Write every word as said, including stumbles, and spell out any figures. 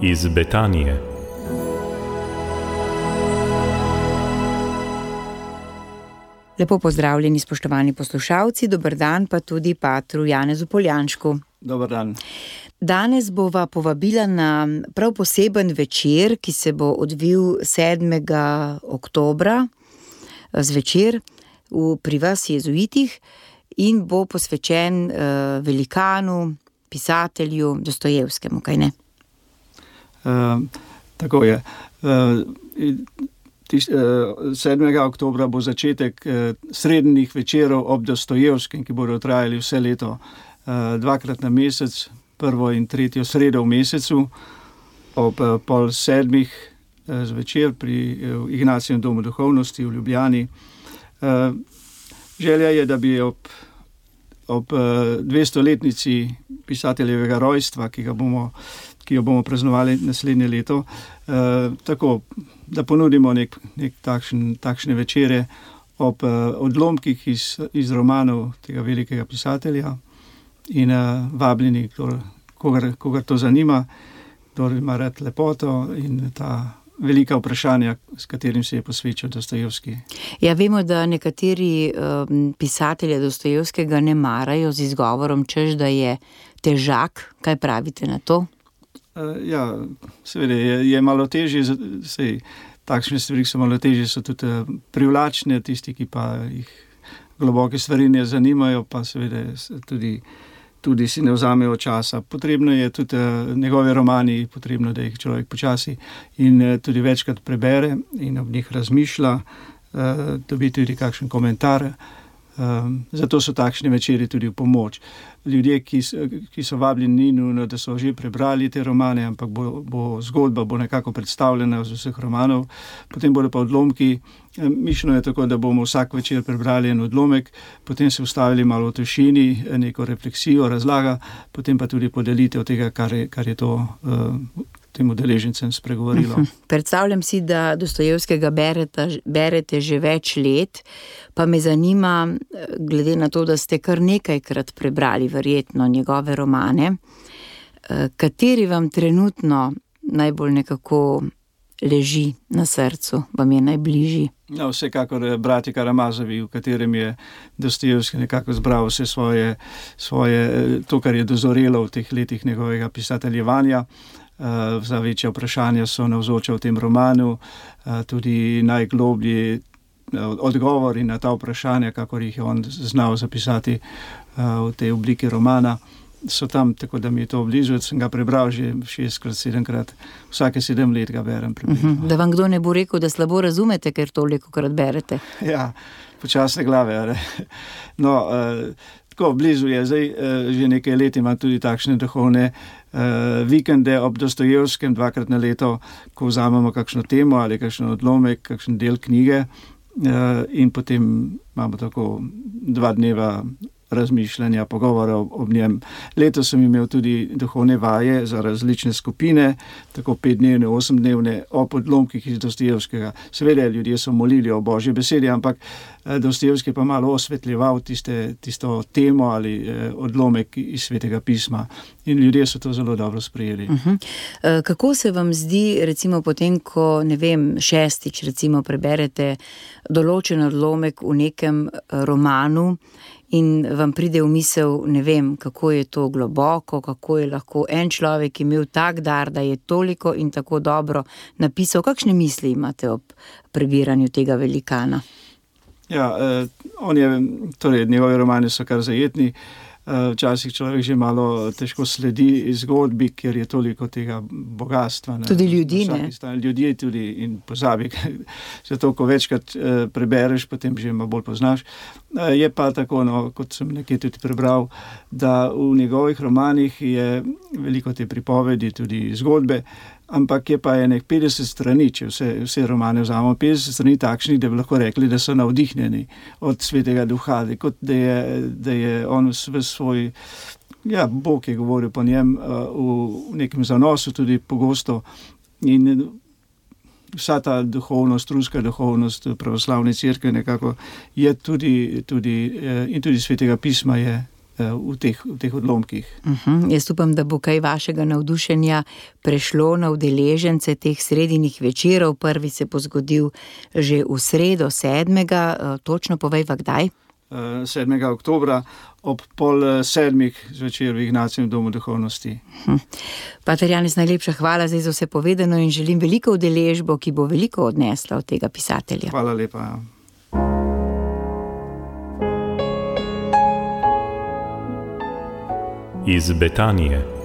iz Betanije. Lepo pozdravljeni, spoštovani poslušalci, dober dan pa tudi patru Janezu Poljanšku. Dober dan. Danes bova povabila na prav poseben večer, ki se bo odvil sedmega oktobra zvečer v, pri vas jezuitih in bo posvečen uh, velikanu, pisatelju Dostojevskemu, kaj ne? Uh, tako je. Uh, Tiš, uh, sedmega oktobra bo začetek uh, srednjih večerov ob Dostojevskem, ki bodo trajali vse leto, uh, dvakrat na mesec, prvo in tretjo sredo v mesecu, ob uh, pol sedmih uh, zvečer pri uh, Ignacijevem domu duhovnosti v Ljubljani. Uh, želja je, da bi ob, ob uh, dvestoletnici pisateljevega rojstva, ki ga bomo ki jo bomo praznovali naslednje leto, uh, tako, da ponudimo nek, nek takšen, takšne večere ob uh, odlomkih iz, iz romanov tega velikega pisatelja in uh, vabljeni, kdor, kogar, kogar to zanima, kdor ima rad lepoto in ta velika vprašanja, s katerim se je posvečal Dostojevski. Ja, vemo, da nekateri um, pisatelje Dostojevskega ne marajo z izgovorom, češ, da je težak. Kaj pravite na to? Ja, seveda je, je malo težje, sej, takšne stvari so malo težje, so tudi privlačne, tisti, ki pa jih globoke stvari ne zanimajo, pa seveda tudi, tudi si ne vzamejo časa. Potrebno je tudi njegove romani, potrebno, da jih človek počasi in tudi večkrat prebere in ob njih razmišlja, dobi tudi kakšen komentar. Um, zato so takšne večeri tudi v pomoč. Ljudje, ki so, ki so vabljeni, ni nujno, da so že prebrali te romane, ampak bo, bo zgodba bo nekako predstavljena z vseh romanov, potem bodo pa odlomki. Mišljeno je tako, da bomo vsak večer prebrali en odlomek, potem se ustavili malo v tišini, neko refleksijo, razlaga, potem pa tudi podelitev tega, kar je, kar je to uh, tem udeležencem spregovorilo. Uh-huh. Predstavljam si, da Dostojevskega berete, berete že več let, pa me zanima, glede na to, da ste kar nekajkrat prebrali verjetno njegove romane, kateri vam trenutno najbolj nekako leži na srcu, vam je najbližji? No, vsekakor Bratje Karamazovi, v katerem je Dostojevski nekako zbral vse svoje, svoje, to, kar je dozorelo v teh letih njegovega pisateljevanja. Uh, za večja vprašanja so navzoča v tem romanu, uh, tudi najgloblji uh, odgovori na ta vprašanja, kakor jih je on znal zapisati uh, v tej obliki romana, so tam, tako da mi je to blizu. Sem ga prebral že šestkrat, sedemkrat, vsake sedem let ga berem približno. Uh-huh. Da vam kdo ne bo rekel, da slabo razumete, ker tolikokrat berete? Ja, počasne glave, ali? No, uh, tako blizu je, zdaj uh, že nekaj let ima tudi takšne duhovne Uh, vikende ob Dostojevskem dvakrat na leto, ko vzamemo kakšno temo ali kakšen odlomek, kakšen del knjige uh, in potem imamo tako dva dneva razmišljanja, pogovora ob, ob njem. Letos sem imel tudi duhovne vaje za različne skupine, tako petdnevne, osemdnevne, ob odlomkih iz Dostojevskega. Seveda, ljudje so molili o Božji besedi, ampak Dostojevski pa malo osvetljeval tiste, tisto temo ali eh, odlomek iz Svetega pisma in ljudje so to zelo dobro sprejeli. Uh-huh. Kako se vam zdi, recimo potem, ko, ne vem, šestič recimo preberete določen odlomek v nekem romanu in vam pride v misel, ne vem, kako je to globoko, kako je lahko en človek imel tak dar, da je toliko in tako dobro napisal. Kakšne misli imate ob prebiranju tega velikana? Ja, eh, on je, torej njegovi romani so kar zajetni. Včasih človek že malo težko sledi zgodbi, ker je toliko tega bogatstva. Ne? Tudi ljudi, ne? Ljudje tudi in pozabi. Zato, ko večkrat eh, prebereš, potem že malo bolj poznaš. Eh, je pa tako, no, kot sem nekaj tudi prebral, da v njegovih romanih je veliko te pripovedi, tudi zgodbe, ampak je pa enek petdeset strani, če vse, vse romane vzamemo, petdeset strani takšnih, da bi lahko rekli, da so navdihnjeni od Svetega Duha, kot da je, da je on v svoj, ja, Bog je govoril po njem v nekem zanosu tudi pogosto in vsa ta duhovnost, ruska duhovnost pravoslavne cerkve nekako je tudi, tudi in tudi Svetega pisma je v teh, v teh odlomkih. Uh-huh. Jaz upam, da bo kaj vašega navdušenja prešlo na udeležence teh sredinjih večerov. Prvi se bo zgodil že v sredo sedmega. Točno povejva, kdaj? sedmega oktobra ob pol sedmih zvečer v Ignacijevem domu duhovnosti. Hm. Pater Janez, najlepša hvala za vse povedano in želim veliko udeležbo, ki bo veliko odnesla od tega pisatelja. Hvala lepa. Iz Betanije.